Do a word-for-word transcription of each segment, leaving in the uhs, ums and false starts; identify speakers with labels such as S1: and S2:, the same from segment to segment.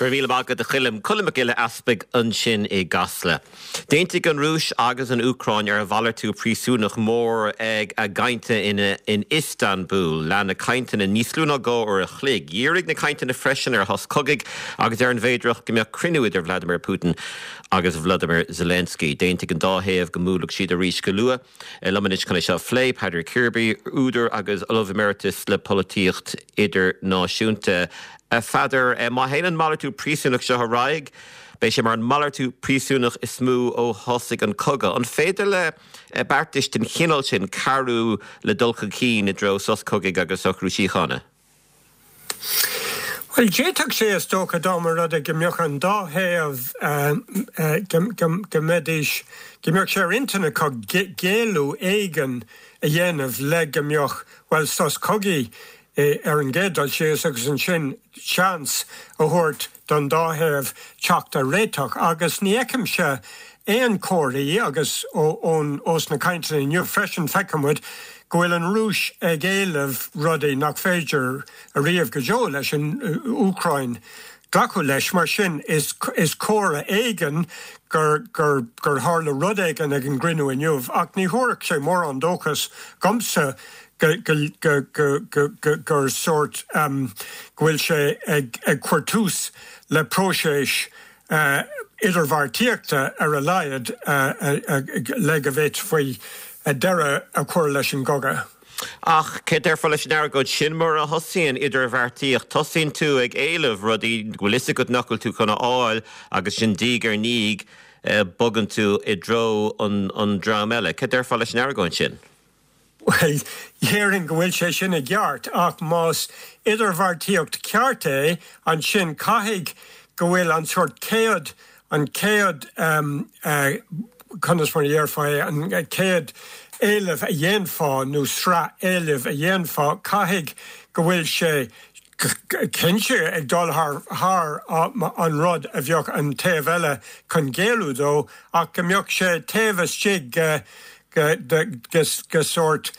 S1: Go raibh míle maith agat a Choilm Colm Mac Giolla Easpaig ansin i gCasla. D'aontaigh an Rúis agus an Úcráin ar mhalartú príosúnach mór ag a gcainteanna in Istanbul lean na cainteanna níos lú ná dhá uair a chloig. Dhírigh na cainteanna freisin ar shos cogaidh agus ar an bhféidearthacht go mbeadh cruinniú idir Vladimir Putin agus Vladimir Zelensky. D'aontaigh an dá thaobh go mbuailfeadh siad arís go luath. Liom anois chun é seo a phlé Peadar Kirby, údar agus ollamh emeritus le polaitíocht idirnáisiúnta. A Pheadair má théann an malartú príosúnach seo ar aghaidh, beidh sé mar an malartú príosúnach is mó ó thosaigh an cogadh. An féidir le beartais den chineál sin cabhrú le dul chun cinn i dtreo sos cogaidh agus socrú síochána?
S2: Well d'fhéadfadh sé is dócha dá mba rud é go mbeadh an dá thaobh go mbeidís go mbeadh sé ar intinn acu géilleadh éigin a dhéanamh le go mbeadh well sos cogaidh ar an gcéad dul síos agus ansin seans a thabhairt don dá thaobh teacht ar réiteach agus ní fheicimse aon chomharthaí agus ón ós na cainteanna inniu freisin feicimid go bhfuil an Rúis ag éileamh rudaí nach féidir ariamh go deo leis an Úcráin glacadh leis mar sin is is comhartha éigin gur gur gur tharla rud éigin ag an gcruinniú inniu ach ní thabharfadh sé mórán dóchas domsa go go go go go go gur sórt um, go bhfuil sé ag ag cur tús le próiseas uh, idirbheartaíochta ar a laghad uh, uh, le go bhféadfaí deireadh a chur leis an gcogadh.
S1: Ach cé déarfá leis an argóint sin mar a thosaíonn idirbheartaíocht tosaíonn tú ag éileamh rudaí go bhfuil a fhios agat nach bhfuil tú chun a fháil agus sin diaidh ar ndiaidh bogann tú i dtreo an, an dream eile. Cé déarfá leis an argóint sin?
S2: Well, déarfainn go bhfuil sé sin i gceart ach más idirbheartaíocht ceart é ansin caithfidh go bhfuil an sórt céad an céad um, uh, conas mar a déarfá an céad éileamh a dhéanfá nó sraith éileamh a dhéanfá caithfidh go bhfuil sé cinnte ag dul thar thar an rud a bheadh an taobh eile chun géilleadh dó ach go mbeadh sé taobh istigh de sórt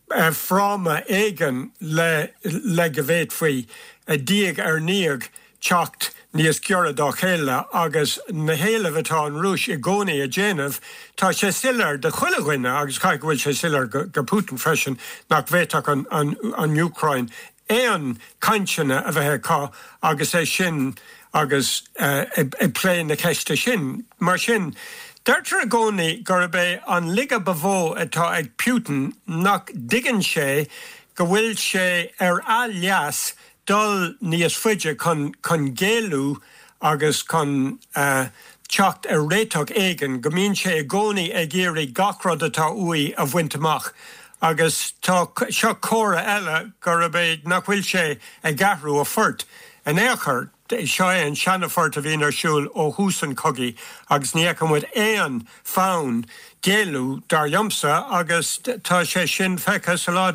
S2: fráma éigin le le go bhféadfaí diaidh ar ndiaidh teacht níos giorra dá chéile agus na héilimh atá an Rúis i gcónaí a dhéanamh, tá sé soiléir do chuile dhuine agus caithfidh go bhfuil sé soiléir go, go Putin freisin nach bhféadfadh an, an, an Úcráin aon cainteanna a bheith acu agus é sin agus uh, ag plé na ceiste sin. Mar sin, Deirtear i gcónaí gurb é an laige ba mhó atá ag Putin nach dtuigeann sé go bhfuil sé ar a leas dul níos faide chun chun géilleadh agus chun uh, teacht ar réiteach éigin, go mbíonn sé i gcónaí ag iarraidh gach rud atá uaidh a bhaint amach. agus tá seo comhartha eile gurb é nach bhfuil sé ag athrú a phort in aon chor. Seo é an seanphort a bhíonn ar siúl ó thús an chogaidh agus ní fheicimid aon fonn géilleadh dar liomsa agus tá sé sin feicthe sa lá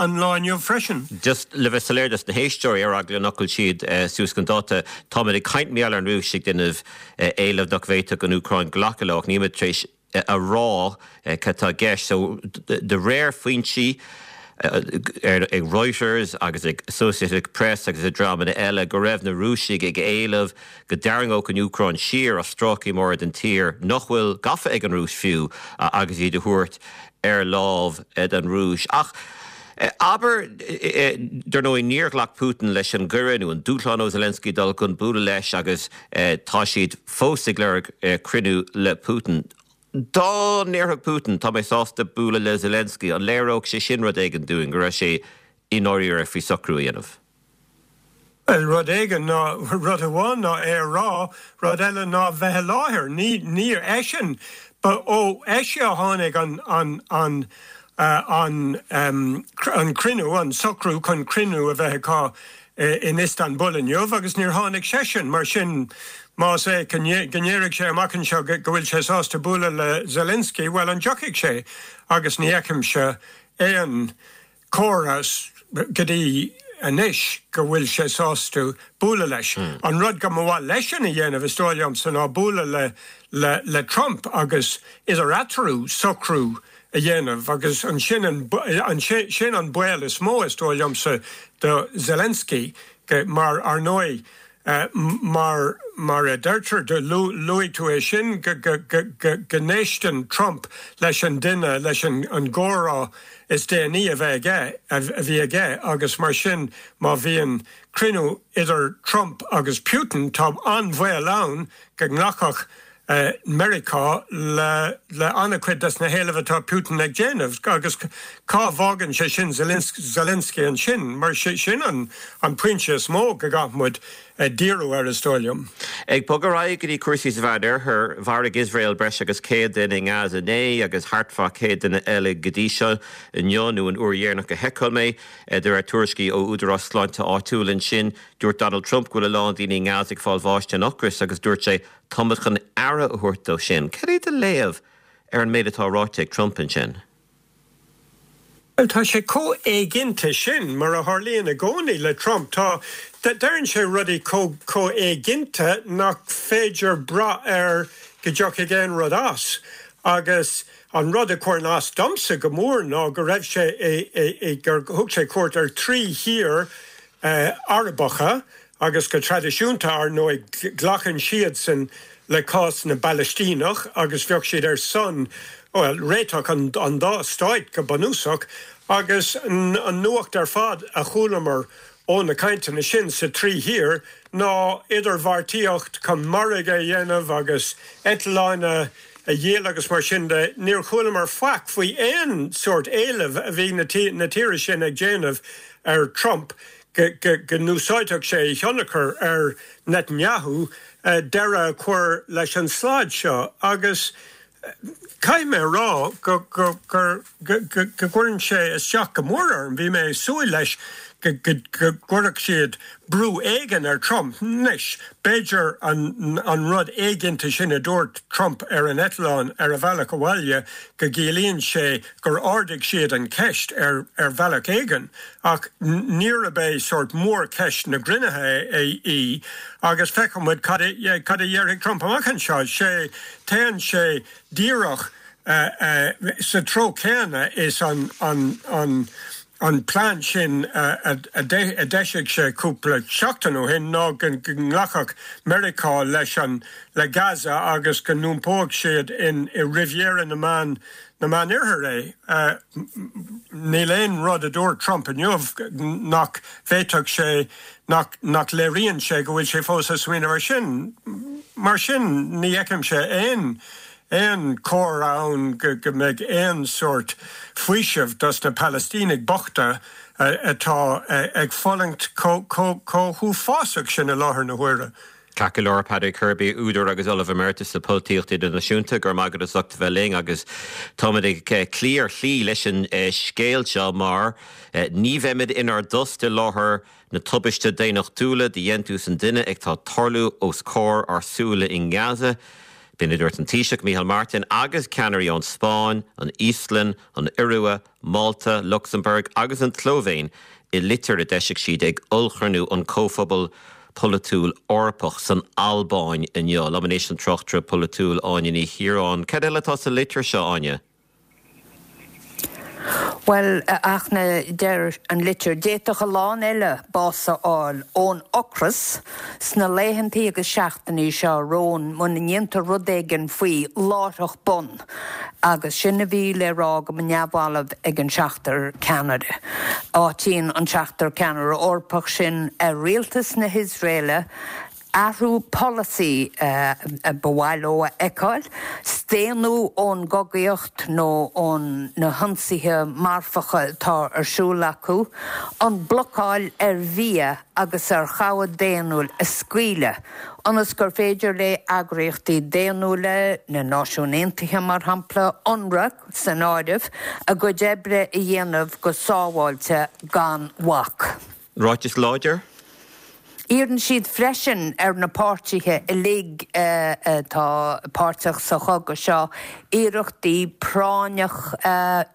S2: an lá inniu freisin.
S1: Just le bheith soiléir dos na héisteoirí ar eagla nach bhfuil siad suas chun dáta Táimid ag caint mar gheall ar an Rúis ag déanamh éileamh nach bhféadfadh an Úcráin glacadh leo nílimid tar éis a rá cad tá i gceist so de réir foinsí ag Reuters agus ag Associated Press agus ag dreamanna eile go raibh na Rúisigh ag éileamh go dtarraingeodh an Úcráin siar as stráicí móra den tír nach bhfuil gafa ag an Rúis fiú agus iad a thabhairt ar lámh don Rúis. Ach abair dar ndóigh níor ghlac Putin leis an gcuireadh nó an dúshlán ó Zelensky dul chun bualadh leis agus tá siad fós ag lorg cruinniú le Putin. Dá ndéarfadh Putin tá mé sásta bualadh le Zelensky an léireodh sé sin rud éigin dúinn go raibh sé i ndáiríre faoi socrú a dhéanamh.
S2: Well rud éigin ná rud amháin ná é a rá rud eile ná bheith i láthair ní níor eisean ba ó eisean a tháinig an an an uh, an um, an cruinniú an socrú chun cruinniú a bheith acu in Istanbul inniu agus níor tháinig seisean mar sin más é go ndéarfaidh sé amach anseo go bhfuil sé sásta bualadh le Zelensky, well an dtiocfaidh sé agus ní fheicimse aon chomhartha go dtí anois go bhfuil sé sásta bualadh leis. Mm. An rud go mba mhaith leisean a dhéanamh is dóigh liomsa ná bualadh le, le, le Trump agus idir eatarthu socrú a dhéanamh agus an sin an, an sin an baol is mó is dóigh liomsa do Zelensky mar ar ndóigh Mar mar a deirtear, do luaigh tú é sin, go go n-éisteann Trump leis an duine, leis an gcomhrá is déanaí a bheith aige, a bhí aige agus mar sin má bhíonn cruinniú idir Trump agus Putin, tá an-bhaol ann go nglacfadh Meiriceá le le an-chuid des na héilimh atá Putin ag déanamh agus cá bhfágann sé sin Zelensky ansin? Mar sin an an pointe is mó go gcaithfidh muid díriú air, is dóigh liom.
S1: Ag bogadh ar aghaidh go dtí cúrsaí sa Mheánoirthear, mharaigh Iosrael breis agus céad duine i nGaza inné agus thart fá céad duine eile go dtí seo inniu nó an uair dheireanach a sheiceáil mé, de réir tuairiscí ó údarás sláinte áitiúil ansin. Dúirt Donald Trump go bhfuil a lán daoine i nGaza ag fáil bháis den ocras agus dúirt sé táimid chun aire a thabhairt dó sin. Cad é do léamh ar an méid atá ráite ag Trump ansin?
S2: Bhuel, tá sé chomh éiginnte sin, mar a tharlaíonn i gcónaí le Trump. Tá, deireann sé rudaí chomh chomh éiginnte nach féidir brath air go dtiocfaidh aon rud as. Agus an rud a chuireann as domsa go mór ná go raibh sé i, i, i, gur thug sé cuairt ar trí thír Arabacha agus go traidisiúnta, ar ndóigh, glacann siadsan le cás na bPalaistíneach agus bheadh siad ar son, bhuel, réiteach an an dá stáit go bunúsach. Agus an nuacht ar fad a chualamar ó na cainteanna sin sa trí thír ná idirbheartaíocht chun margadh a dhéanamh agus eitleáin a dhíol agus mar sin de. Níor chualamar faic faoi aon sórt éilimh a bhí na na tíortha sin ag déanamh ar Trump go go n-úsáidfeadh sé a thionchar ar Netanyahu deireadh a chur leis an slad seo. Agus caithfidh mé a rá go go go go gcuireann sé isteach go mór orm. Bhí mé ag súil leis go go go gcuirfeadh siad brú éigin ar Trump. Anois, b'fhéidir an an rud éiginnte sin a dúirt Trump ar an eitleán ar a bhealach abhaile go gciallaíonn sé gur ardaigh siad an cheist ar ar bhealach éigin. Ach níorbh é sórt mórcheist na gcruinnithe í agus feicfidh muid cad a cad a dhéarfaidh Trump amach anseo. Sé téann sé díreach sa treo céanna is an an an an plean sin a d'eisigh sé cúpla seachtain ó shin ná go nglacfadh Meiriceá leis an le Gaza agus go n-iompódh siad in i Riviera na Meán na Meánoirthear é. Níl aon rud a dúirt Trump inniu nach bhféadfadh sé nach nach léiríonn sé go bhfuil sé fós ag smaoineamh ar sin. Mar sin ní fheicimse aon aon chomhartha ann go go mbeidh aon sórt faoisimh dos na Palaistínigh bochta atá ag fulaingt chomh huafásach sin i láthair na huaire.
S1: Ceart go leor, Padraig Kirby, údar agus Ollamh Emeritus le Polaitíocht Idirnáisiúnta, go raibh maith agat as ucht a bheith linn agus táimid ag cloí ar shlí leis an scéal seo mar ní bheimid inár dtost i láthair na tubaiste daonnachtúla de dhéantús an duine atá ag tarlú os comhair ár súile i nGaza. B'in a dúirt an Taoiseach Micheál Martin agus ceannairí ón Spáinn, an Íoslainn, an Iorua, Málta, Lucsamburg agus an tSlóivéin i litir a d'eisigh siad ag ollchruinniú an Chomhphobail Polaitiúil Eorpach san Albáin inniu. Liom anois an tráchtaire polaitiúil Áine Ní Chiaráin. Cad eile atá sa litir seo, Áine?
S3: Bhuel, ach na deir an litir, d'fhéadfadh a lán eile bás a fháil ón ocras sna laethantaí agus seachtainí seo romhainn muna ndéantar rud éigin faoi láithreach bonn. Agus sin a bhí le rá go neamhbhalbh ag an seachtar ceannaire. Áitíonn an seachtar ceannaire Eorpach sin ar rialtas na hIosraeile athrú polasaí ba mhaith leo a fheiceáil, staonadh ón gcogaíocht nó ón na hionsaithe marfacha atá ar siúl acu, an blocáil ar bhia agus ar chabhair daonnúil a scaoileadh, ionas gur féidir le eagraíochtaí daonnúla, na Náisiúin Aontaithe mar shampla, UNRWA san áireamh, a gcuid oibre a dhéanamh go sábháilte gan bhac.
S1: Ráiteas láidir?
S3: Iarrann siad freisin ar na páirtithe uilig atá páirteach sa chogadh seo iarrachtaí práinneach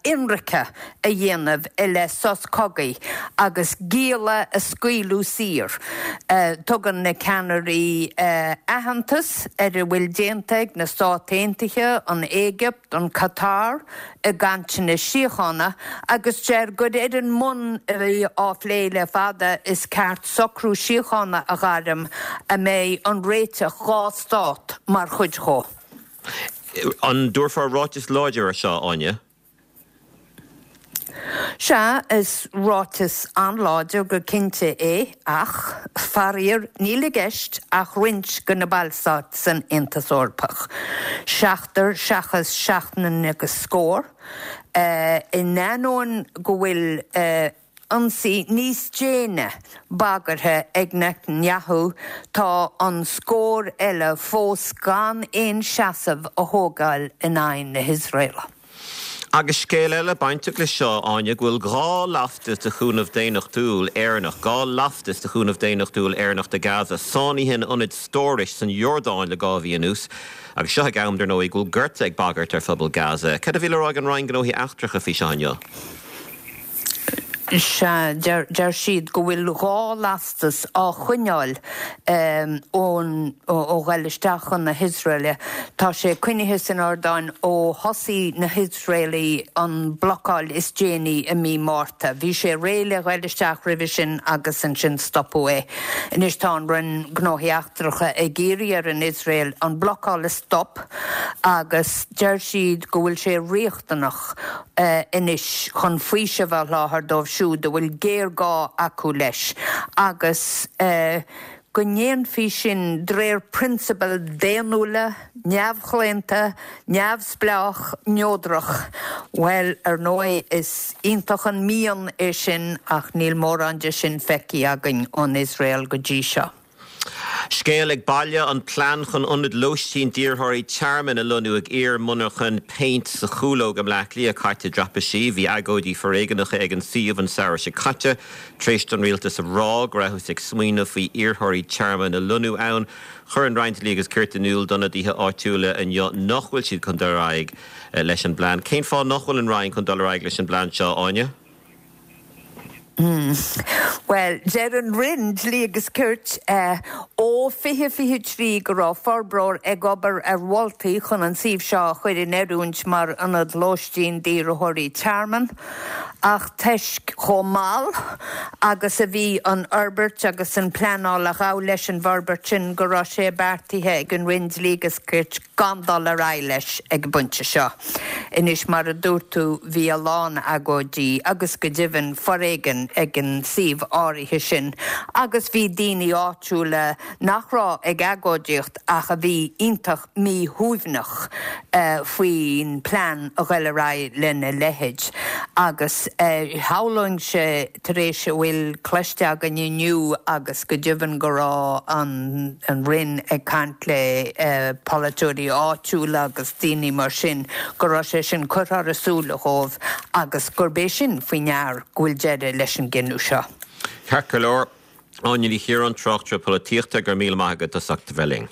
S3: ionraice a dhéanamh i leith sos cogaidh agus gialla a scaoileadh saor. Tugann na ceannairí aitheantas ar a bhfuil déanta ag na Stáit Aontaithe, an Éigipt, an Catar i gcainteanna síochána agus deir gur ar an mbonn a bhí á phlé le fada is ceart socrú síochána a ghairm a mbeidh an réiteach dhá stát mar chuid dhó.
S1: An dtabharfar ráiteas láidir ar seo, Áine?
S3: Sea, is ráiteas an-láidir go cinnte é, ach, faraor, níl i gceist ach roinnt de na ballstáit san Aontas Eorpach, seachtar seachas seacht agus scór, in ainneoin go bhfuil ionsaí níos déine bagartha ag Netanyahu, tá an scór eile fós gan aon seasamh a thógáil in aghaidh na hIosraela.
S1: Agus scéal eile bainteach leis seo, Áine, go bhfuil dhá lastas de chúnamh daonnachtúil Éireannach, dhá lastas de chúnamh daonnachtúil Éireannach do Gaza, sáinnithe in ionad stórais san Iordáin le dhá mhí anuas. Agus seo ag am, dar ndóigh, go bhfuil gorta ag bagairt ar phobal Gaza. Cad a bhí le rá ag an Roinn Gnóthaí Eachtracha faoi seo inniu?
S3: Sea, deir siad go bhfuil dhá lastas á choinneáil ón ó ghoil isteach chun na hIosraeile. Tá sé coinnithe san Iordáin ó thosaigh na hIosraelaigh an blocáil is déanaí i mí Márta. Bhí sé réidh le ghoil isteach roimhe sin agus ansin stopadh é. Anois tá an Roinn Gnóthaí Eachtracha ag iarraidh ar an Iosrael an blocáil a stop agus deir siad go bhfuil sé riachtanach anois chun faoiseamh a sholáthar dóibh siúd a bhfuil géarghá acu leis agus go ndéanfaí sin de réir prionsabail daonnúla, neamhchlaonta, neamhspleách, neodrach. Bhuel, ar ndóigh, is iontach an mian é sin ach níl mórán de sin feicthe againn ón Iosrael go dtí seo.
S1: Scéal ag baile, an plean chun ionad lóistín d'iarrthóirí tearmainn a lonnú ag iar-mhonarcha péint sa Chúlóg i mBleá Cliath caite i dtraipisí. Bhí agóidí foréigneacha ag an suíomh an samhradh seo caite tar éis don rialtas a rá go rabhthas ag smaoineamh faoi iarrthóirí tearmainn a lonnú ann. Chuir an Roinn Dlí agus Cirt in iúl d'ionadaithe áitiúla inniu nach bhfuil siad chun dul ar aghaidh leis an bplean. Cén fáth nach bhfuil an Roinn chun dul ar aghaidh leis an bplean seo, Áine?
S3: Bhuel, deir an Roinn Dlí agus Cirt ó fiche fiche trí go raibh forbróir ag obair ar mholtaí chun an suíomh seo a chur in oiriúint mar ionad lóistín d'iarrthóirí tearmainn, ach toisc chomh mall agus a bhí an fhorbairt agus an pleanáil a ghabh leis an bhforbairt sin go raibh sé beartaithe ag an Roinn Dlí agus Cirt gan dul ar aghaidh leis ag an bpointe seo. Anois, mar a dúirt tú, bhí a lán agóidí agus go deimhin foréigean ag an suíomh áirithe sin agus bhí daoine áitiúla nach raibh ag agóidíocht ach a bhí iontach míshuaimhneach faoin plean a ghoil ar aghaidh lena leithéid. Agus shamhlóinnse tar éis a bhfuil cloiste againn inniu agus go deimhin go raibh an an Roinn ag caint le polaiteoirí áitiúla agus daoine mar sin go raibh sé sin curtha thar a súile dhóibh agus gurb é sin faoi ndear go bhfuil deireadh leis an gcinneadh seo.
S1: Ceart go leor, Áine Ní Chiaráin, tráchtaire polaitíochta, go raibh míle maith agat as ucht a bheith linn.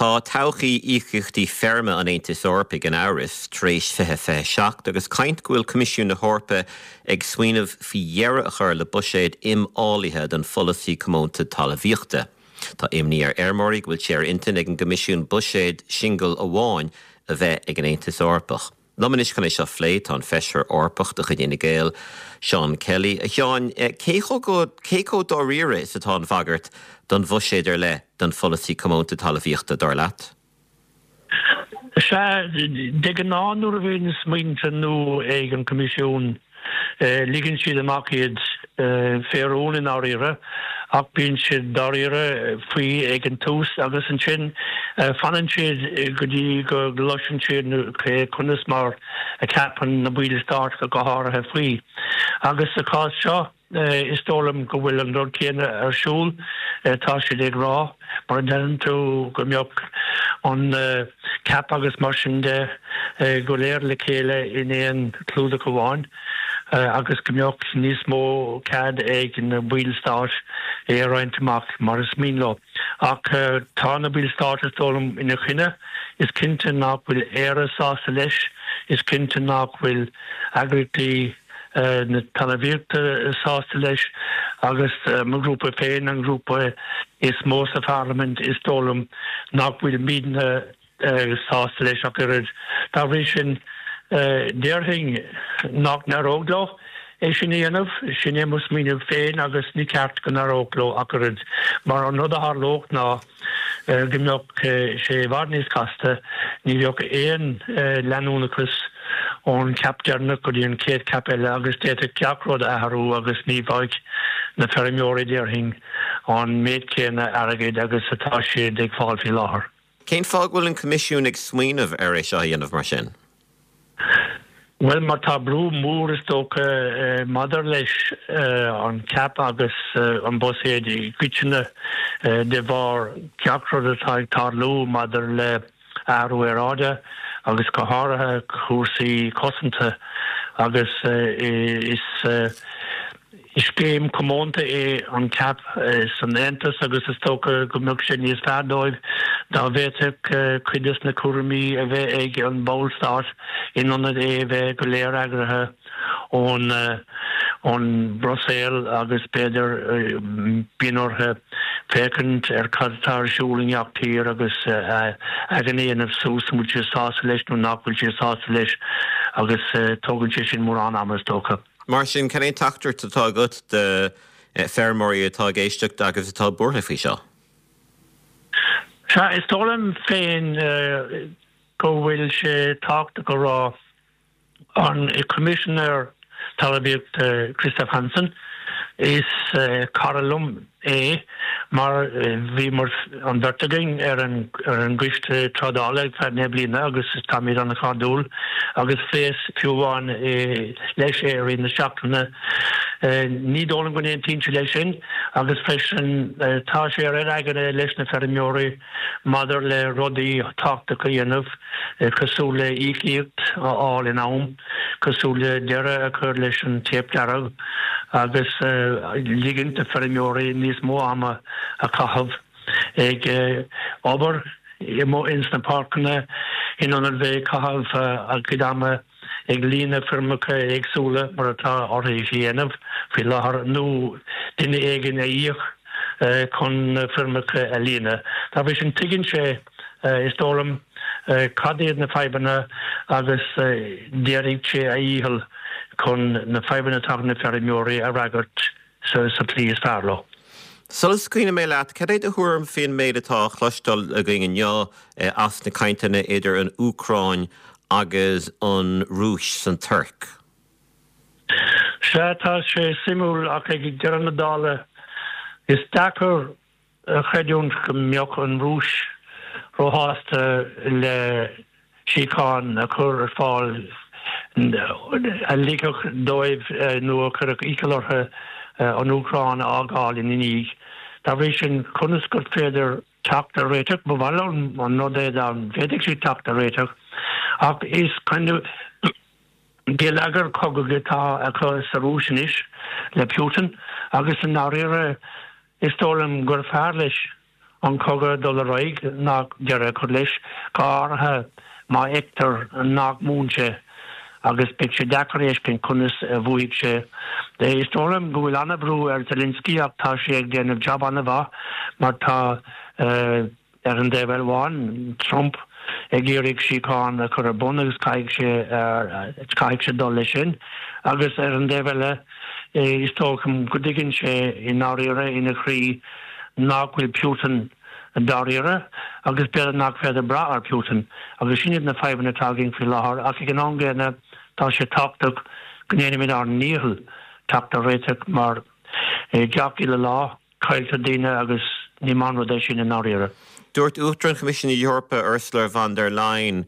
S1: Tá todhchaí íocaíochtaí feirme an Aontais Eorpaigh in amhras tar éis fiche fiche seacht agus caint go bhfuil Coimisiún na hEorpa ag smaoineamh faoi dheireadh a chur le buiséad imfhálaithe don pholasaí comónta talmhaíochta. Tá imní ar fheirmeoirí go bhfuil sé ar intinn ag an gCoimisiún buiséad singil amháin a bheith ag an Aontas Eorpach. Liom anois chun é seo a phlé tá an Feisire Eorpach de chuid Fhine Gael, Seán Kelly. A Sheáin, cé chomh cé chomh dáiríre is atá an bhagairt don bhuiséad ar leith don pholasaí comónta talmhaíochta, dar leat?
S4: Sea, de ghnáth nuair a bhíonn smaointe nua ag an Coimisiún, ligeann siad amach iad fé rún i ndáiríre, ach bíonn siad dáiríre faoi ag an tús agus ansin fanann siad go dtí go gcloiseann siad conas mar a cheapann na baill stáit go háirithe faoi. Agus sa chás seo, is dóigh liom go bhfuil an rud céanna ar siúl. Tá siad ag rá, mar a deireann tú, go mbeadh an cap agus mar sin de go léir le chéile in aon chlúdach amháin agus go mbeadh níos mó cead ag na baill stáit é a roinnt amach mar is mian leo. Ach tá na ballstáit is dóigh liom ina choinne, is cinnte nach bhfuil Éire sásta leis, is cinnte nach bhfuil eagraíochtaí na talmhaíochta sásta leis agus mo ghrúpa féin, an grúpa is mó sa pharlaimint, is dóigh liom nach bhfuilimidne sásta leis ach oiread. Dá bhrí sin, déarfainn nach n-éireodh leo é sin a dhéanamh, sin é mo smaoineamh féin agus ní ceart go n-éireodh leo ach oiread, mar an rud a tharlódh ná go mbeadh sé i bhfad níos casta, ní bheadh aon leanúnachas ón ceap deireanach go dtí an chéad ceap eile agus d'fhéadfadh gach rud a athrú agus ní bheadh na feirmeoirí, déarfainn, an méid céanna airgid agus atá siad ag fáil faoi láthair.
S1: Cén fáth go bhfuil an Coimisiún ag smaoineamh ar é seo a dhéanamh mar sin?
S4: Bhuel, mar tá brú mór is dócha maidir leis an cap agus an buiséad i gcoitinne de bharr gach rud atá ag tarlú maidir le athrú aeráide agus go háirithe cúrsaí cosanta agus is Is scéim comónta é an cap san Aontas agus is dócha go mbeadh sé níos fearr dóibh dá bhféadfadh cuid des na cúraimí a bheith ag an ballstát in ionad é a bheith go léir eagraithe ón ón mBruiséil agus b'fhéidir bíonn orthu féachaint ar cad atá ar siúl i ngach tír agus a dhéanamh suas an bhfuil siad sásta leis nó nach bhfuil siad sásta leis agus tógann sé sin mórán ama is dócha.
S1: Mar sin, cén teachtaireacht atá agat do feirmeoirí atá ag éisteacht agus atá buartha faoi seo?
S4: Sea, is dóigh liom féin go bhfuil sé tábhachtach a rá an Coimisinéir Talmhaíochta Christophe Hansen, is cara liom é mar bhíomar an bheirt againn ar an ar an gcoiste trádála ar feadh deich mbliana agus táimid an-chairdiúil agus phléas fiú amháin leis é i rith na seachtaine. Ní dóigh liom go n-aontaíonn sé leis sin agus freisin tá sé ar aigne leis na feirmeoirí maidir le rudaí tábhachtacha a dhéanamh cosúil le íocaíocht a fháil in am, cosúil le deireadh a chur leis an téip dearg agus ligint do feirmeoirí níos mó ama a chaitheamh ag obair ins na páirceanna in ionad bheith ag caitheamh a gcuid ama ag líonadh foirmeacha éagsúla mar atá orthu a dhéanamh faoi láthair nó duine éigin a íoc chun na foirmeacha a líonadh. Dá bhrí sin tuigeann sé, is dóigh liom, cad iad na fadhbanna agus déanfaidh sé a dhícheall chun na fadhbanna atá ag na feirmeoirí a fhreagairt sa tslí is fearr leo.
S1: Sula scaoilfidh mé leat, cad é do thuairim faoin méid atá á chloisteáil againn inniu as na cainteanna idir an Úcráin agus an Rúis san Tuirc?
S4: Sea, tá sé suimiúil ach ag deireadh na dála is deacair a chreidiúint go mbeadh an Rúis róshásta le síocháin a chur ar fáil a ligfeadh dóibh nó a chuirfeadh iachall orthu an Úcráin a fhágáil ina ndiaidh. Dá bhrí sin, conas gur féidir teacht ar réiteach? Ba mhaith liom an rud é dá bhféadfadh siad teacht ar réiteach, ach is geilleagar cogaidh atá acu sa Rúis anois le Putin agus i ndáiríre is dóigh liom gur fearr leis an cogadh dul ar aghaidh ná deireadh a chur leis, go háirithe má fheictear nach mbuann sé agus beidh sé deacair a fheiscint conas a bhuafaidh sé. Is dóigh liom go bhfuil an-bhrú ar Zelensky ach tá sé ag déanamh jab an-mhaith mar tá ar an dtaobh amháin, Trump ag iarraidh síocháin a chur ar bun agus caithfidh sé caithfidh sé dul leis sin agus ar an dtaobh eile is dócha go dtuigeann sé i ndáiríre ina chroí nach bhfuil Putin dáiríre agus b'fhéidir nach féidir brath ar Putin agus sin iad na fadhbanna atá againn faoi láthair ach ag an am gcéanna tá sé tábhachtach go ndéanfaimid ár ndícheall teacht ar réiteach mar gach uile lá cailltear daoine agus ní maith an rud é sin i ndáiríre.
S1: Dúirt Uachtarán Choimisiún na hEorpa Ursula von der Leyen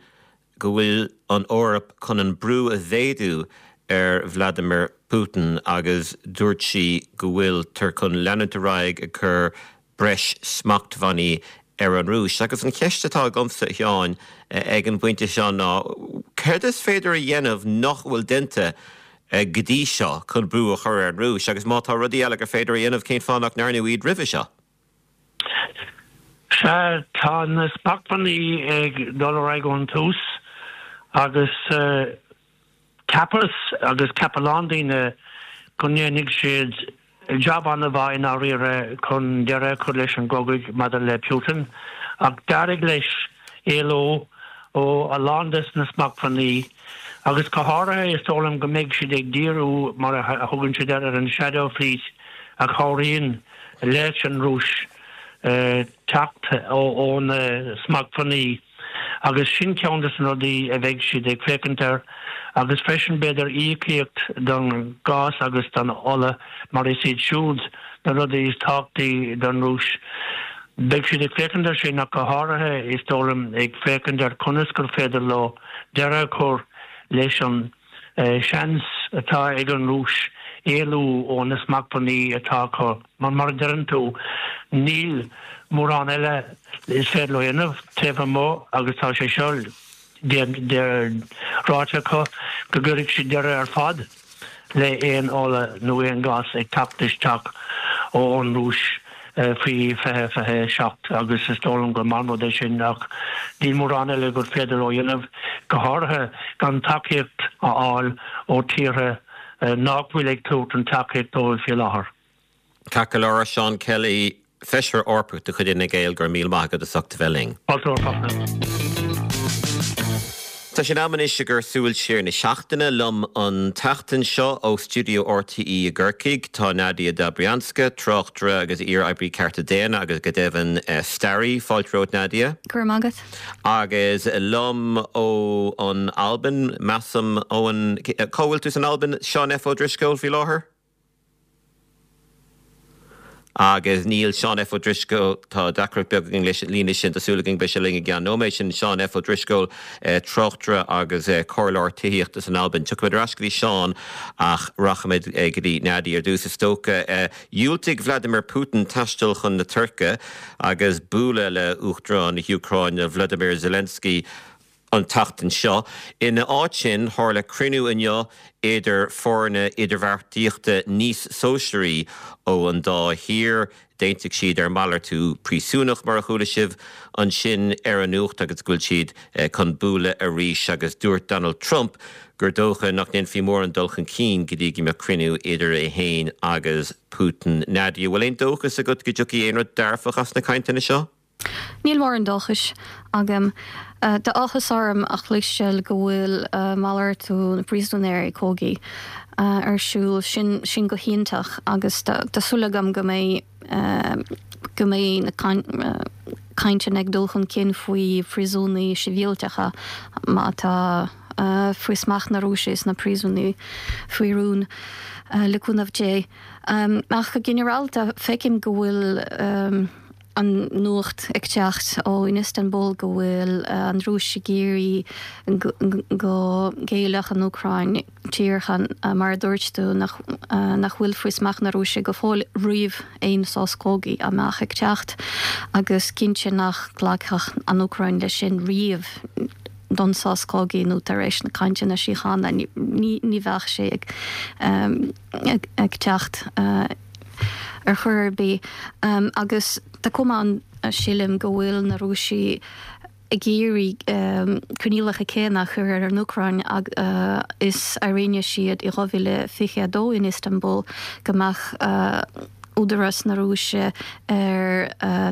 S1: go bhfuil an Eoraip chun an brú a mhéadú ar Vladimir Putin agus dúirt sí go bhfuiltear chun leanúint ar aghaidh ag cur breis smachtbhannaí ar an Rúis. Agus an cheist atá agamsa, a Sheáin, ag an bpointe seo ná céard is féidir a dhéanamh nach bhfuil déanta go dtí seo chun brú a chur ar an Rúis agus má tá rudaí eile gur féidir a dhéanamh cén fáth nach ndearnadh iad roimhe seo?
S4: Sea, tá na smachtbhannaí ag dul ar aghaidh ón tús agus cheapas agus cheap a lán daoine go ndéanfaidh siad jab an-mhaith i ndáiríre chun deireadh a chur leis an gcogadh maidir le Putin ach d'éirigh leis éalú ó a lán des na smachtbhannaí agus go háirithe is dóigh liom go mbeidh siad ag díriú mar a thugann siad air ar an shadow fleet a chabhraíonn leis an Rúis teacht ó na smachtbhannaí agus sin ceann de na rudaí a bheidh siad ag féachaint air agus freisin b'fhéidir íocaíocht don gás agus don ola mar is iad siúd na rudaí is tábhachtaí don Rúis. Beidh siad ag féachaint air sin ach go háirithe is dóigh liom ag féachaint ar conas gur féidir leo deireadh a chur leis an seans atá ag an Rúis éalú ó na smachtbhannaí atá acu. Mar mar a deireann tú, níl mórán eile is féidir leo a dhéanamh taobh amuigh agus tá sé seo ráite acu go gcuirfidh siad deireadh ar fad le aon ola nó aon ghás ag teacht isteach ón Rúis faoi fiche fiche a seacht agus is dóigh liom gur maith an rud é sin ach níl mórán eile gur féidir leo a dhéanamh, go háirithe gan tacaíocht a fháil ó tíortha nach bhfuil ag tabhairt an tacaíocht dóibh faoi láthair.
S1: Ceart go leor, Seán Kelly, Feisire Eorpach de chuid Fhine Gael, go raibh míle maith agat as ucht a bheith linn.
S4: Fáilte romhat.
S1: Tá sé in am anois ag cur súil siar na seachtaine liom an tseachtain seo ó stiúideo RTÉ i gCorcaigh. Tá Nadia Dobrianska, tráchtaire agus iar-oibrí cearta daonna agus go deimhin staraí. Fáilte romhat Nadia.
S5: Go raibh maith agat.
S1: Agus liom ó an Albain, measaim ón cá bhfuil tú san Albain, Seán F. Ó Drisceoil faoi láthair? Agus níl Seán F. Ó Drisceoil, tá deacracht beag againn leis an líne sin, tá súil againn beidh sé linn i gceann nóiméid, sin Seán F. Ó Drisceoil, tráchtaire agus comhairleoir tithíochta san Albain. Tiocfaimid ar ais go dtí Seán ach rachaimid go dtí Nadia ar dtús is dócha. Dhiúltaigh Vladimir Putin taisteal chun na Tuirce agus bualadh le Uachtarán na hÚcráine Vladimir Zelensky an tseachtain seo. Ina áit sin, tharla cruinniú inniu idir foirne idirbheartaíochta níos sóisearaí ó an dá thír. D'aontaigh siad ar mhalartú príosúnach, mar a chuala sibh ansin ar an nuacht, agus go bhfuil siad chun bualadh arís. Agus dúirt Donald Trump gur dócha nach ndéanfaí mórán dul chun cinn go dtí go mbeadh cruinniú idir é féin agus Putin. Nadia, bhfuil aon dóchas agat go dtiocfaidh aon rud dearfach as na cainteanna seo?
S5: Níl mórán dóchais agam. Tá áthas orm a chloisteáil go bhfuil malartú na bpríosúnóirí cogaidh ar siúl. Sin sin go hiontach agus tá súil agam go mbeidh go mbeidh na cainteanna ag dul chun cinn faoi phríosúnaigh sibhialtacha má tá faoi smacht na Rúise is na príosúnaigh faoi rún le cúnamh Dé. Ach go ginearálta feicim go bhfuil an nuacht ag teacht ó in Istanbul go bhfuil an Rúis ag iarraidh go ngéillfeadh an Úcráin tíortha mar a dúirt tú nach nach bhfuil faoi smacht na Rúise go fóill roimh aon sos cogaidh a mbeadh ag teacht agus cinnte nach nglacfadh an Úcráin leis sin riamh don sos cogaidh nó tar éis na cainteanna síochána ní ní bheadh sé ag ag teacht ar chor ar bith agus tá cuma ann sílim go bhfuil na Rúisigh ag iarraidh coinníollacha céanna a chur ar an Úcráin is a rinne siad i dhá mhíle fiche a dó in Istanbul go mbeadh údarás na Rúise ar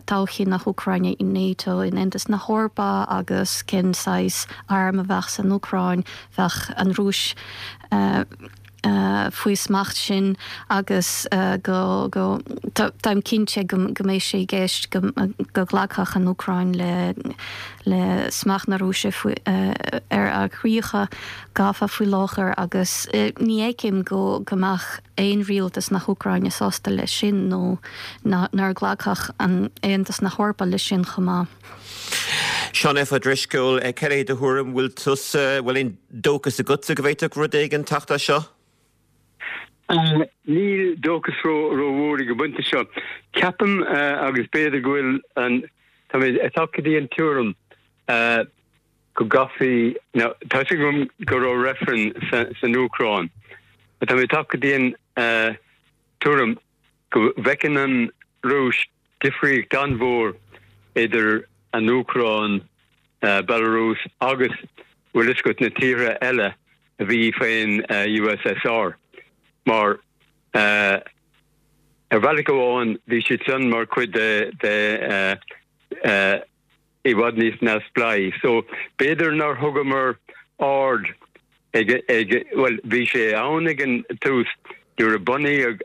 S5: todhchaí na hÚcráine in NATO, in Aontas na hEorpa agus cén saghas arm a bheadh san Úcráin, bheadh an Rúis faoi smacht sin agus go go táim cinnte go go mbeidh sé i gceist go go nglacfadh an Úcráin le le smacht na Rúise faoi ar a críocha gafa faoi láthair agus ní fheicim go go mbeadh aon rialtas na hÚcráine sásta leis sin nó nár ghlacfadh an Aontas na hEorpa leis sin chomh maith.
S1: Seán F. Ó Drisceoil, cad é do thuairim, bhfuil tusa, bhfuil aon dóchas agatsa go bhféadfadh rud éigin teacht as seo?
S6: Níl dóchas rómhór ag an bpointe seo. Ceapaim agus b'fhéidir go bhfuil an, tá mé ag teacht go dtí an tuairim go gcaithfí, now tá a fhios agam go raibh reifreann san Úcráin Tá mé tagtha go dtí an tuairim go bhfeiceann an Rúis difríocht an-mhór idir an Úcráin, Belarus agus bhfuil fhios agat na tíortha eile a bhí faoin USSR mar ar bhealach amháin bhí siad san mar chuid de de i bhfad níos neamhspleáí. So b'fhéidir nár thugamar aird ag ag bhuel bhí sé ann ag an tús nuair a bunaíodh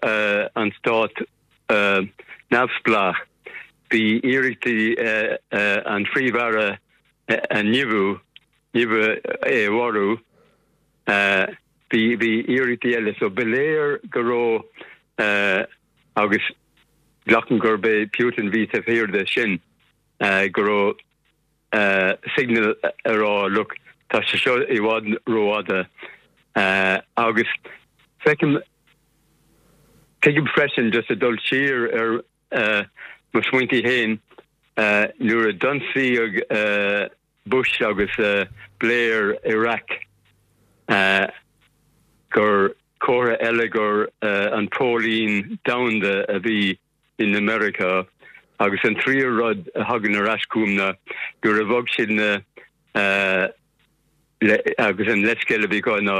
S6: an stát neamhspleách bhí iarrachtaí an Phríomh-Aire a nimhiú nimhiú é a mharú bhí bhí iarrachtaí eile so ba léir go raibh agus glacaim gurb é Putin bhí taobh thiar de sin go raibh signal a rá look tá sé seo i bhfad rófhada agus feicim tuigim freisin just a dul siar ar mo smaointe féin nuair a d'ionsaíodh Bush agus Blair Iraq gur comhartha eile gur an póilín domhanda a bhí in America agus an tríú rud a thagann ar ais chugam ná nuair a bhog siad na agus an leithscéal a bhí acu ná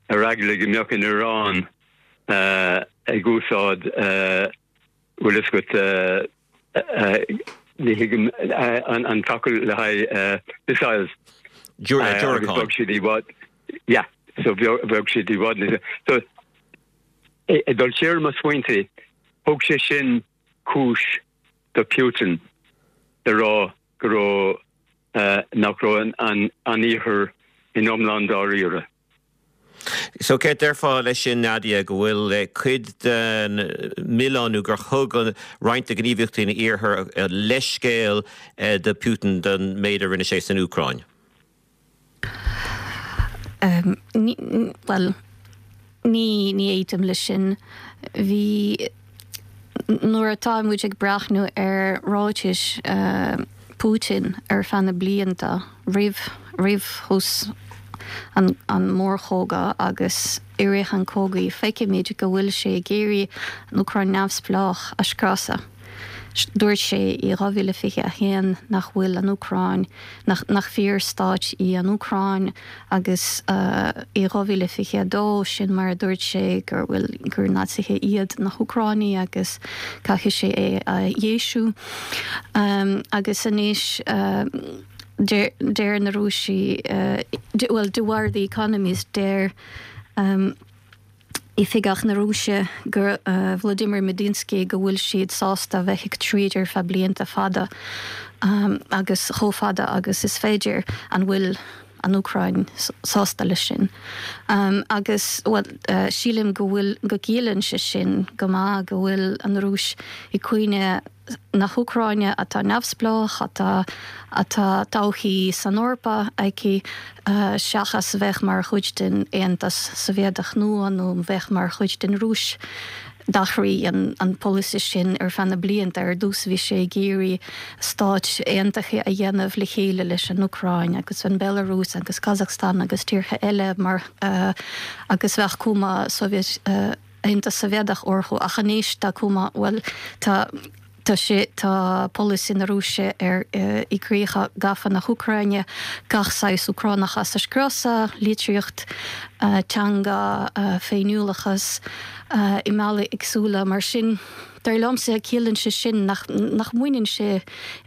S6: ar eagla go mbeadh an Iran ag úsáid bhfuil fhios agat ní thuigim an focal le haghaidh missiles. Bhog siad i bhfad yeah so bhog siad i bhfad so ag dul siar mo smaointe thug sé sin cúis do Putin le rá go raibh nach raibh an an iarthar in iomlán dáiríre.
S1: So cé déarfá leis sin Nadia go bhfuil cuid den milleán nó gur thug roinnt de ghníomhaíochtaí an iarthair leithscéal do Putin don méid a rinne sé san Úcráin?
S5: Um, well, ní ní aontaím leis sin bhí nuair atá muid ag breathnú ar ráitis uh, Putin ar feadh na blianta roimh roimh thús an, an mórchogadh agus i rith an chogaidh feicimid go bhfuil sé ag iarraidh an Úcráin neamhspleách a scriosadh. Dúirt sé i dhá mhíle fiche a haon nach bhfuil an Úcráin nach, nach fíorstát í an Úcráin agus uh, i dhá mhíle fiche a dó sin mar a dúirt sé gur bhfuil gur Naitsithe iad na hÚcránaigh agus caithfidh sé é a dheisiú. Um, agus anois uh, deir na Rúisigh uh, well de bharr The Economist deir um, Oifigeach na Rúise gur uh, Vladimir Medinsky go bhfuil siad sásta bheith ag troid ar feadh blianta fada um, agus chomh fada agus is féidir an bhfuil an Úcráin sásta leis sin. Um, agus well, uh, sílim go bhfuil go gciallaíonn sé sin go maith go bhfuil an Rúis i gcoinne na hÚcráine atá neamhspleách atá atá todhchaí san Eorpa aici uh, seachas bheith mar chuid den Aontas Sóivéadach nua nó bheith mar chuid den Rúis. D'athraigh an, an polasaí sin ar feadh na blianta ar dtús bhí sé ag iarraidh stát aontaithe a dhéanamh le chéile leis an Úcráin agus an Belarus agus Kazakhstan agus tíortha eile mar uh, agus bheith cuma Soviet uh, Aontas Sóivéadach orthu ach anois tá cuma well tá Tá sé tá polasaí na Rúise ar uh, i gcríocha gafa na hÚcráine gach saghas Úcránachas a scriosadh, litríocht, uh, teanga, uh, féiniúlachas uh, i mbealaí éagsúla mar sin. Dar liomsa ciallaíonn sé sin nach, nach mbaineann sé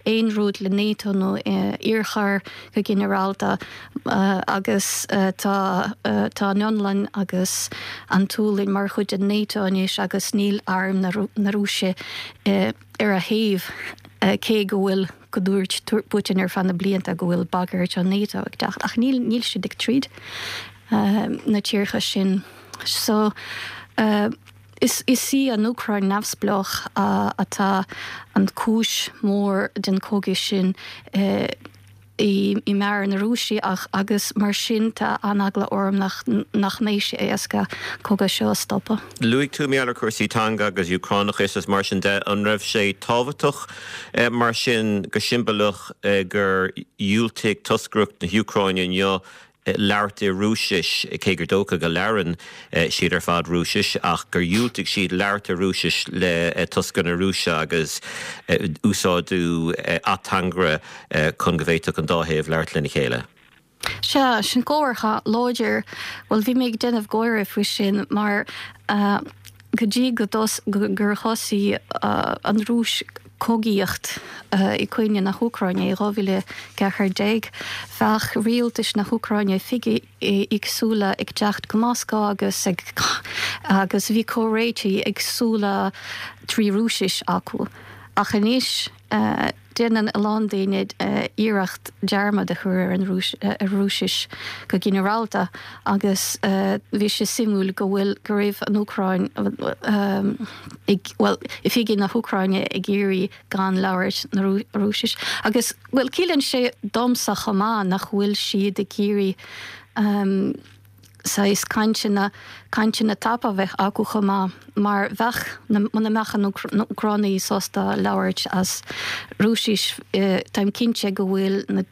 S5: aon rud le NATO nó uh, iarthar go ginearálta uh, agus uh, tá uh, tá an Fhionlainn agus an tSualainn mar chuid den NATO anois agus níl arm na, na Rúise uh, ar a thaobh uh, cé go bhfuil go dúirt Putin ar feadh na blianta go bhfuil bagairt an NATO ag teacht ach níl níl siad ag troid uh, na tíortha sin. So uh, Is, is í an Úcráin neamhspleách uh, atá an cúis mór den chogadh sin uh, i, i measc na Rúisigh ach agus mar sin tá an-eagla orm nach, nach mbeidh sé éasca cogadh seo a stopadh.
S1: Luaigh tú mé ar cúrsaí teanga agus Úcránachas is mar sin de an raibh sé tábhachtach eh, mar sin go siombalach eh, gur dhiúltaigh toscaireacht na hÚcráine inniu labhairt i Rúisis, cé gur dócha go labhrann siad ar fad Rúisis, ach gur dhiúltaigh siad labhairt i Rúisis le toscaireacht na Rúise agus úsáideadh ateangaire chun go bhféadfadh an dá thaobh labhairt lena chéile.
S5: Sea, sin comhartha láidir. Bhuel, bhí mé ag déanamh gáire faoi sin mar go dtí go gur thosaigh an Rúis cogaíocht i gcoinne na hÚcráine i dhá mhíle ceathair déag, bheadh rialtais na hÚcráine oifigigh éagsúla ag teacht go Moscó agus ag agus bhí comhráití éagsúla trí Rúisis acu. Ach anois déanann a lán daoine iarracht dearmad a chur ar an Rúisis go ginearálta agus bhí sé suimiúil go bhfuil go raibh an Úcráin ag bhuel oifigigh na hÚcráine ag iarraidh gan labhairt na Rúisis. Agus bhuel ciallaíonn sé domsa chomh maith nach bhfuil siad ag iarraidh saghas cainteanna, cainteanna tapa a bheith acu chomh maith, mar bheadh, muna mbeadh na Úcránaigh sásta labhairt as Rúisis, táim cinnte go bhfuil na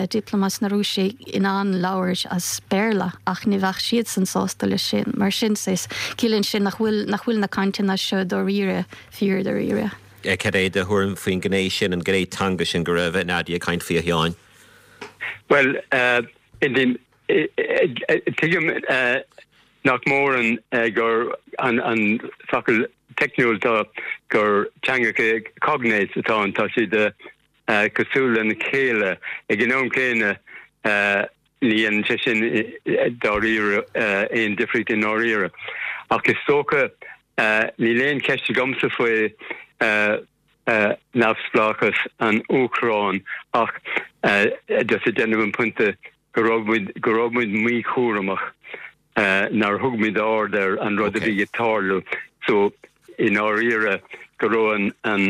S5: diplomates na Rúise in ann labhairt as Béarla ach ní bheadh siadsan sásta leis sin. Mar sin, saghas, ciallaíonn sin nach bhfuil, nach bhfuil na cainteanna seo dáiríre, fíor dáiríre.
S1: Cad é do thuairim faoin ghné sin, an ghné teanga sin go raibh Nadia ag caint faoi, a Sheáin?
S6: Bhuel, in Tuigim nach mór an gur an focal teicniúil tá gur teangacha cognates atá ann, tá siad cosúil lena chéile. Ag an am céanna ní dhéanann sé sin dáiríre aon difríocht i ndáiríre. Ach is dócha níl aon cheist agamsa faoi neamhspleáchas an Úcráin ach just ag déanamh an pointe go raibh muid go raibh muid míchúramach nár thug muid aird ar an rud a bhí ag tarlú so i ndáiríre go raibh an an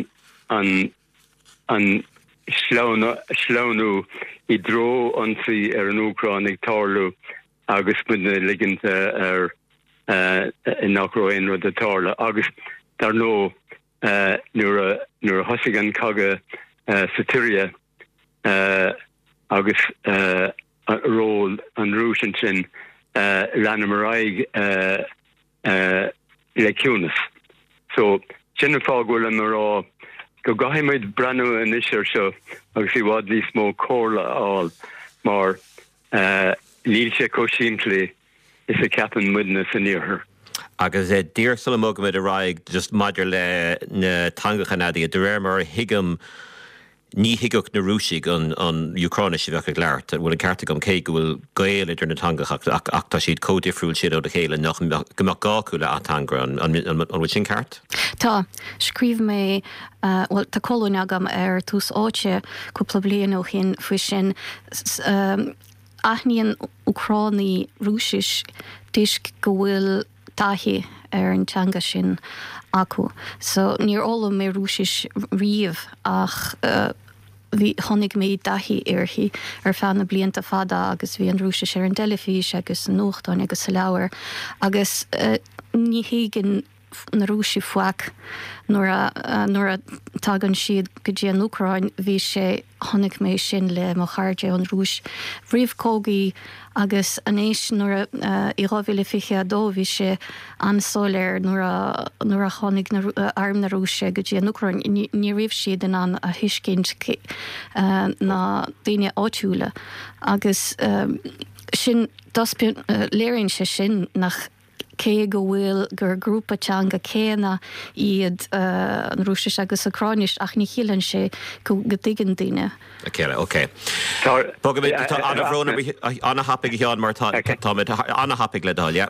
S6: an an sleamhnú i dtreo ionsaí ar an Úcráin ag tarlú agus muid ag ligint ar nach raibh aon rud ag tarlú agus dar ndóigh nuair a nuair a thosaigh an cogadh sa tSiria agus ról an Rúis ansin, leanamar ar aghaidh le ciúnas. So, sin an fáth go bhfuilim ag rá go gcaithfidh muid breathnú anois air seo agus i bhfad níos mó comhairle a fháil mar níl sé chomh simplí is a ceapann muidne san iarthar.
S1: Agus díreach sula mbogaimid ar aghaidh, just maidir le na teangacha, Nadia, de réir mar a thuigim, ní thuigfeadh na Rúisigh an Úcráinis a bheadh ag labhairt, an bhfuil an ceart agam, cé go bhfuil gaol idir na teangacha ach ach tá siad chomh difriúil sin óna chéile nach go mbeadh gá acu le ateangaire, an bhfuil sin ceart?
S5: Tá. Scríobh mé, bhuel tá colún agam ar Tús Áite cúpla bliain ó shin faoi sin. Aithníonn Úcránaigh Rúisis toisc go bhfuil taithí ar an teanga sin acu. So níor fhoghlaim mé Rúisis riamh ach bhí, tháinig mé i dtaithí uirthi ar feadh na blianta fada agus bhí an Rúisis ar an dteilifís agus sa nuachtáin agus sa leabhar agus ní thuigeann na Rúisigh faic nuair a nuair a tagann siad go dtí an Úcráin bhí sé chonaic mé sin le mo chairde ón Rúis roimh cogaí agus anois nuair a i dhá mhíle fiche a dó bhí sé an-soiléir nuair a nuair a tháinig na arm na Rúise go dtí an Úcráin ní ní raibh siad in ann a thuiscint na daoine áitiúla agus sin léiríonn sé sin nach cé go bhfuil gur grúpa teanga céanna iad an Rúisis agus Úcráinis ach ní chiallaíonn sé go dtuigeann daoine.
S1: A chéile, ok. Bogaimid, tá an-bhrón an-thapaidh a Sheáin mar tá táimid an-thapaidh le do thoil, yeah.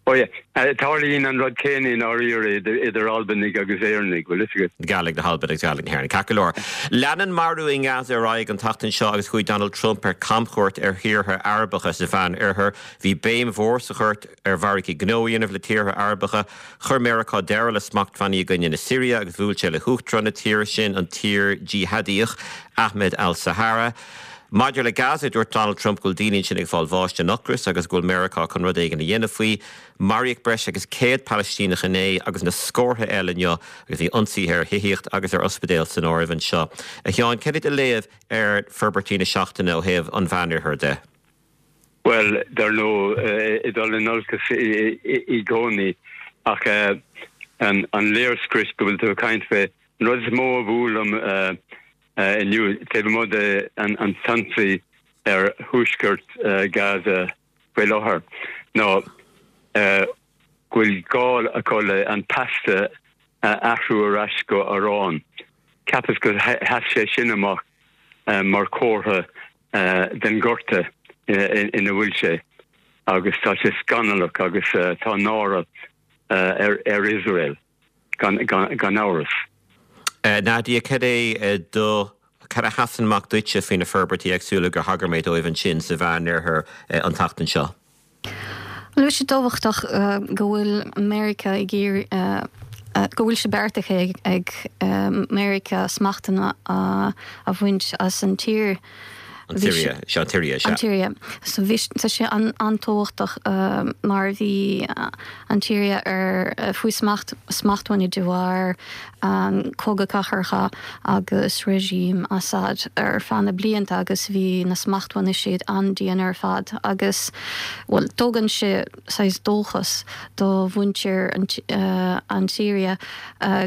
S6: Oh yeah. Tarlaíonn an rud céanna i ndáiríre idir Albanaigh agus Éireannaigh, bhfuil fhios agat.
S1: Gàidhlig na hAlban agus Gàidhlig na hÉireann. Ceart go leor. Lean an marú i nGaza ar aghaidh an tseachtain seo agus chuaigh Donald Trump ar camchuairt ar thíortha Arabacha sa Mheán-Oirthear. Bhí béim mhór sa chuairt ar mhargaí gnó a dhéanamh le tíortha Arabacha. Chuir Meiriceá deireadh le smachtbhannaí i gcoinne na Siria agus bhuail sé le huachtarán na tíre sin, an t-iar-jihadíoch Ahmed al-Sharaa. Maidir le Gaza, dúirt Donald Trump go bhfuil daoine ansin ag fáil bháis den ocras agus go bhfuil Meiriceá chun rud éigin a dhéanamh faoi. Maraíodh breis agus céad Palaistíneach inné agus na scórtha eile inniu agus bhí ionsaithe ar thithíocht agus ar ospidéil san áireamh anseo. A Sheáin, cad é do léamh ar forbairtí na seachtaine ó thaobh an Mheánoirthir de?
S6: Bhuel, dar ndóigh, ag dul in olcas i gcónaí, ach an léirscrios go bhfuil tú ag caint fé, an rud is mó a bhuail liom inniu, taobh amuigh de an t-ionsaí ar thuaisceart Gaza faoi láthair, ná go bhfuil gá acu le an pasta a athrú ar ais go arán. Cheapas gur sheas sé sin amach mar chomhartha den ghorta ina bhfuil sé agus tá sé scannalach agus tá náire ar Iosrael gan amhras.
S1: Nadia, cad é do, cad a sheasann amach duitse faoi na forbairtí éagsúla gur thagair mé dóibh ansin sa Mheánoirthear an tseachtain seo?
S5: Bhuel, tá sé tábhachtach go bhfuil Meiriceá ag iarraidh, go bhfuil sé beartaithe ag Meiriceá smachtbhanna a bhaint as an tír.
S1: An tSiria, sea, an tSiria, sea.
S5: An tSiria. So bhí, tá sé an-tábhachtach mar bhí an tSiria ar faoi smacht, smachtbhannaí de bharr an cogadh cathartha agus regime Assad ar feadh na blianta agus bhí na smachtbhannaí siad an-dian ar fad agus, bhuel, tugann sé saghas dóchas do mhuintir an tSiria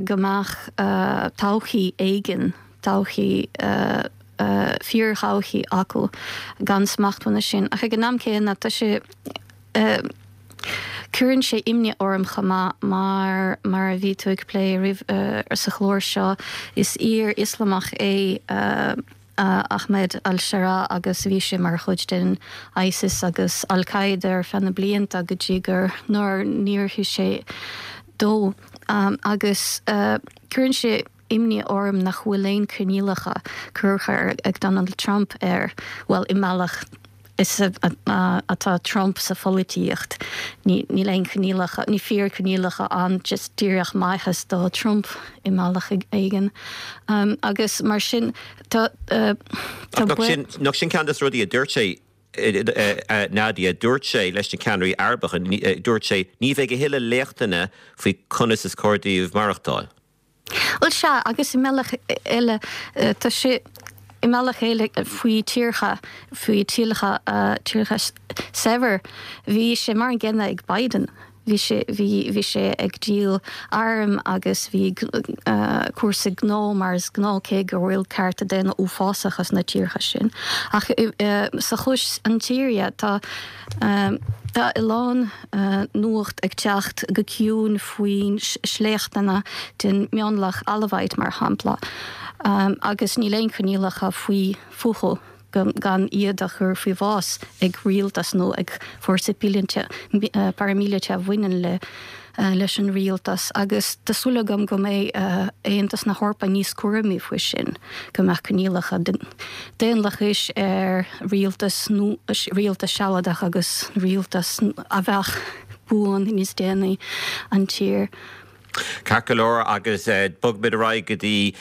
S5: go mbeadh todhchaí éigin, todhchaí fíorthodhchaí acu gan smachtbhanna sin. Ach ag an am céanna tá sé cuireann sé imní orm chomh maith mar mar a bhí tú ag plé roimh sa chlár seo is iar-Ioslamach é Ahmed al-Sharaa agus bhí sé mar chuid den ISIS agus Al-Qaeda ar feadh na blianta go dtí gur nuair níor thit sé dó agus cuireann sé imní orm nach bhfuil aon choinníollacha curtha ag Donald Trump air, bhuel, i mbealach is atá Trump sa pholaitíocht, níl aon choinníollacha, ní fíorchoinníollacha ann, just díreach maitheas do Trump i mbealach éigin. Agus mar sin, tá
S1: Ach nach sin ceann de na rudaí a dúirt sé, Nadia, dúirt sé leis na ceannairí Arabacha, dúirt sé, ní bheidh a thuilleadh léachtanna faoi conas is cóir daoibh maireachtáil.
S5: Bhuel sea, agus i mbealach eile, tá sé i mbealach eile faoi tíortha, faoi tíortha, tíortha saibhir, bhí sé mar an gcéanna ag Biden. Bhí sé, bhí, bhí sé ag díol arm agus bhí cúrsaí gnó mar is gnáth cé go bhfuil cearta daonna uafásacha sna tíortha sin. Ach sa chás an tSiria tá, Tá a lán nuacht ag teacht go ciúin faoin sléachtanna den mionlach Alawite, mar shampla, agus níl aon choinníollacha faoi fúthu gan iad a chur faoi bhás ag rialtas nó ag fórsa paraimíleata a bhaineann le leis an rialtas agus tá súil agam go mbeidh Aontas na hEorpa níos cúramaí faoi sin, go mbeadh coinníollacha daonlathais ar rialtas nó rialtas sealadach agus rialtas a bheadh buan níos déanaí an tír.
S1: Ceart go leor agus bogfaimid ar aghaidh go dtí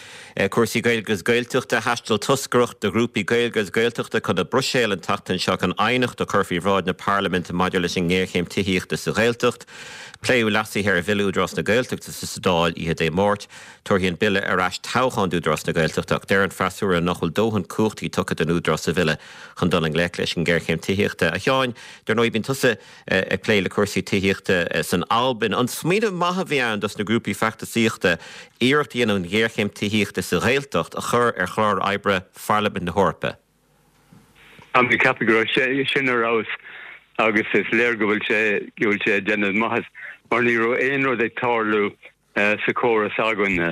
S1: cúrsaí Gaeilge agus Gaeltachta. Thaistil toscaireacht de ghrúpaí Gaeilge agus Gaeltachta chun na Bruiséile an tseachtain seo chun aighneacht a chur faoi bhráid na Parlaiminte maidir leis an ngéarchéim tithíochta sa Ghaeltacht. Pléadh leasuithe ar Bhille Údarás na Gaeltachta sa Dáil oíche Dé Máirt. Tabharfaidh an bille ar ais toghchán d'Údarás na Gaeltachta ach deir an freasúra nach bhfuil dóthain cumhachtaí tugtha don Údarás sa bhille chun dul i ngleic leis an ngéarchéim tithíochta. A Sheáin, dar ndóigh bíonn tusa ag plé le cúrsaí tithíochta san Albain. An smaoineamh maith a bhí ann dos na grúpaí feachtasaíochta iarracht a dhéanamh an ghéarchéim tithíochta sa Ghaeltacht a chur ar chlár oibre Pharlaimint na hEorpa?
S6: Tá mé ag ceapadh go raibh sé sin ar fheabhas agus is léir go bhfuil sé go bhfuil sé ag déanamh maitheas mar ní raibh aon rud ag tarlú sa chóras againne.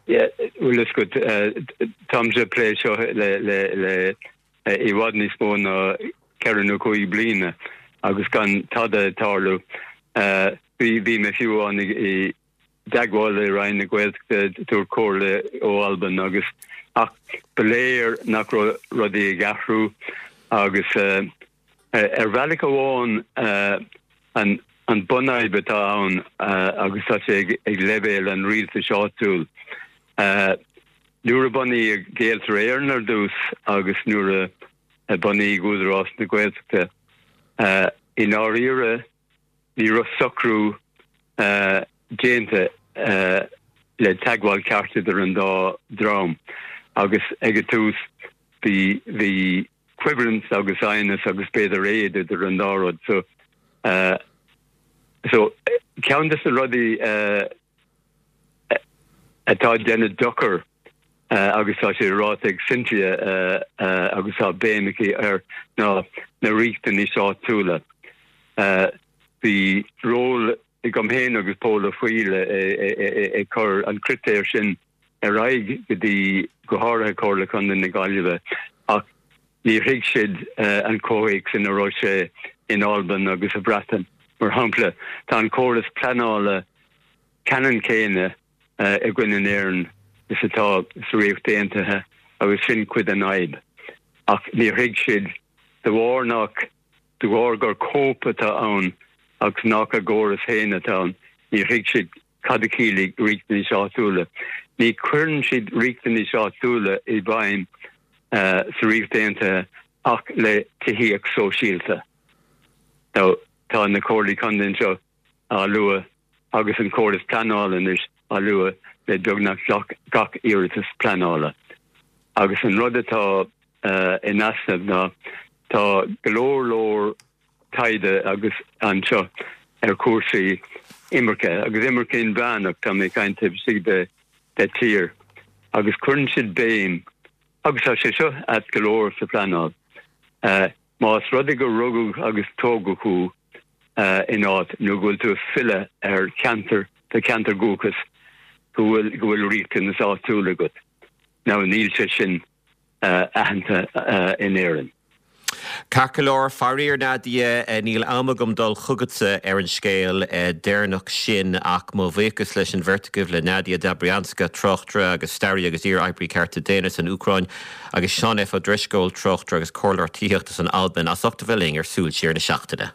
S6: Bhfuil fhios agat, táimse ag plé seo le le le i bhfad níos mó ná ceithre nó cúig bliana agus gan tada ag tarlú. Bhí bhí mé fiú amháin i dteagmháil le Roinn na Gaeltachta ag tabhairt comhairle ó Albain agus ach ba léir nach raibh rudaí ag athrú agus ar bhealach amháin an an bunfhadhb atá ann agus tá sé ag leibhéal an rialtais áitiúil. Nuair a bunaíodh Gaeltarra Éireann ar dtús agus nuair a bunaíodh Údarás na Gaeltachta i ndáiríre ní raibh socrú déanta le teagmháil ceart idir an dá dhream agus ag an tús bhí bhí coimhlint agus aighneas agus b'fhéidir éad idir an dá rud so uh, so ceann de na rudaí uh, atá ag déanamh dochar uh, agus tá sé ráite ag Cynthia uh, uh, agus tá béim aici air ná na riachtanais áitiúla. Uh, Bhí ról agam féin agus Pól Ó Foighil ag cur an critéir sin ar aghaidh go dtí go háirithe Comhairle Contae na Gaillimhe ach níor thuig siad an comhthéacs ina raibh sé in Albain agus sa Bhreatain. Mar shampla tá an córas pleanála ceannann céanna againn in Éirinn is atá sa Ríocht Aontaithe agus sin cuid den fhadhb. Ach níor thuig siad de bharr nach de bharr gur cóip atá ann agus nach a gcóras féin atá ann, níor thuig siad cad a chiallaigh riachtanais áitiúla. Ní chuireann siad riachtanais áitiúla i bhfeidhm sa Ríocht Aontaithe ach le tithíocht sóisialta. Now, tá na comhairlí contae anseo á lua agus an córas pleanála anois á lua le beagnach gach iarratas pleanála. Agus an rud atá in easnamh ná tá go leor leor taighde agus anseo ar chúrsaí imirce agus imirce inmheánach tá mé ag caint taobh istigh de de tír agus cuireann siad béim agus tá sé seo ait go leor sa phleanáil. Más rud é gur rugadh agus tógadh thú in áit nó go bhfuil tú ag filleadh ar cheantar do cheantar dúchais go bhfuil go bhfuil riachtanas áitiúil agat. Now níl sé sin aitheanta in Éirinn.
S1: Ceart go leor, faraor Nadia, níl am agam dul chugatsa ar an scéal deireanach sin ach mo bhuíochas leis an bheirt agaibh le Nadia Dobrianska, tráchtaire agus staraí agus iar-oibrí cearta daonna san Úcráin agus Seán F. Ó Drisceoil, tráchtaire agus comhairleoir tithíochta san Albain as ucht a bheith linn ar Súil Siar na Seachtaine.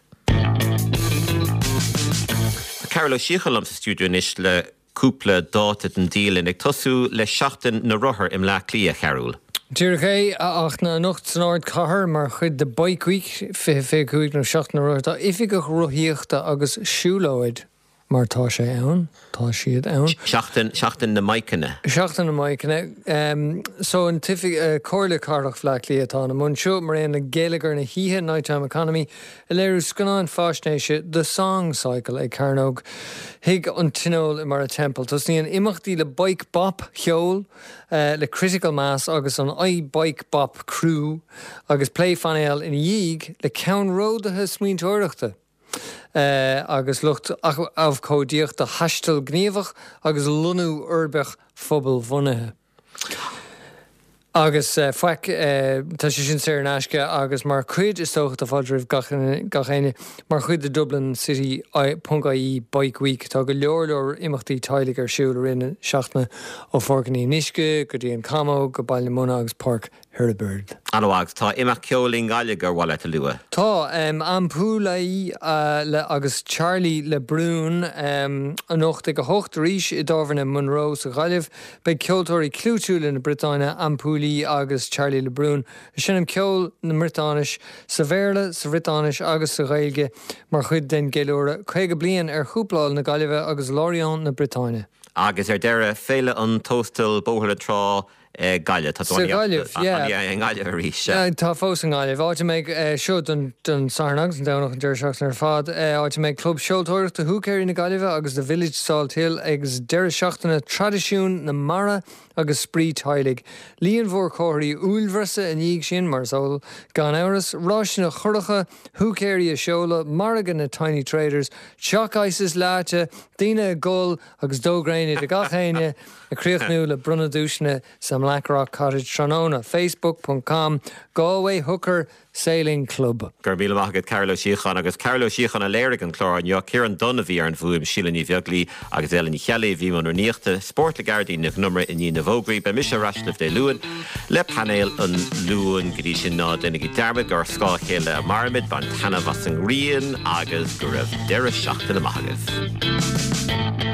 S1: Tá Cearbhall Ó Síocháin liom sa stiúideo anois le cúpla dáta den dialann, ag tosú le Seachtain na Rothar i mBleá Cliath, a Chearbhaill.
S7: Díreach é, ach na anocht san ardchathair mar chuid de Bike Week fiche fiche cúig nó Seachtain na Rothar, tá Oifigeach Rothaíochta agus Siúlóid mar tá sé ann, tá siad ann.
S1: Seachtain, Seachtain na mBikeanna.
S7: Seachtain na mBikeanna. So an tOifig, Comhairle Cathrach Bhaile Átha Cliath atá ina mbun seo, mar aon le Geilleagar na hOíche, Night-Time Economy, ag léiriú scannán faisnéise The Song Cycle ag Cearnóg Thigh an Tionóil i mBarra Temple. Tosnaíonn imeachtaí le Bike Bop cheol le Critical Mass agus an I Bike Bop Crew agus plé phainéil ina dhiaidh le ceannródaithe smaointeoireachta agus lucht abhcóideachta thaisteal gníomhach agus lonnú uirbeach phobalbhunaithe. Agus faic, tá sé sin saor in aisce agus mar chuid, is dócha, tá fáilte roimh gach gach éinne, mar chuid de Dublin City ponc ie Bike Week tá go leor leor imeachtaí teaghlaigh ar siúl i rith na seachtaine ó Pháirc an Fhionnuisce go dtí an Camóg go Baile na Munna agus Páirc Heribert.
S1: An-mhaith, tá imeacht ceoil i nGaillimh gur mhaith leat a lua.
S7: Tá, Ampuli le agus Charlie Le Brún anocht ag a hocht arís i dTábhairne Monroe sa Ghaillimh. Beidh ceoltóirí clúitiúla na Briotáine, Ampuli agus Charlie Le Brún, ag seinm ceol na mBriotáinis sa Bhéarla, sa Bhriotáinis agus sa Ghaeilge mar chuid den gceiliúradh caoga bliain ar chúpláil na Gaillimhe agus Lorient na Briotáine.
S1: Agus ar deireadh, Féile an Tóstail, Bóthar na Trá, Gaillimh. Tá
S7: Sa Ghaillimh, yeah.
S1: I nGaillimh arís.
S7: Tá fós i nGaillimh. Áit a mbeidh, seo don don Satharn agus an Domhnach an deireadh seachtaine ar fad, áit a mbeidh Club Seoltóireachta Húicéirí na Gaillimhe agus The Village Salthill ag deireadh seachtaine traidisiún na mara agus spraoi teaghlaigh. Líon mhór comharthaí uaillbhreasa i ndiaidh sin, mar is eol, gan amhras, ráiseanna curacha, húicéirí a seoladh, margadh na Tiny Traders, choc ices leáite, daoine ag gol agus dó gréine do gach éinne, ag críochnú le bronnadh duaiseanna sa mBlackrock Cottage tráthnóna. Facebook ponc com Galway Hooker Sailing Club.
S1: Go raibh míle maith agat Cearbhall Ó Síocháin agus Cearbhall Ó Síocháin a léirigh an clár inniu, Ciarán Dunne a bhí ar an bhfuaim, Síle Ní Bheaglaoi agus Ellen Ní Cheallaigh a bhí i mbun rúnaíochta, Spórt le Gearóidín Nic an Iomaire i ndiaidh na bhfógraí. Beidh mise ar ais libh Dé Luain le painéal an Luain. Go dtí sin ná déanaigí dearmad gur ar scáth a chéile a mairimid, bain taitneamh as an ngrian agus go raibh deireadh seachtaine maith agaibh.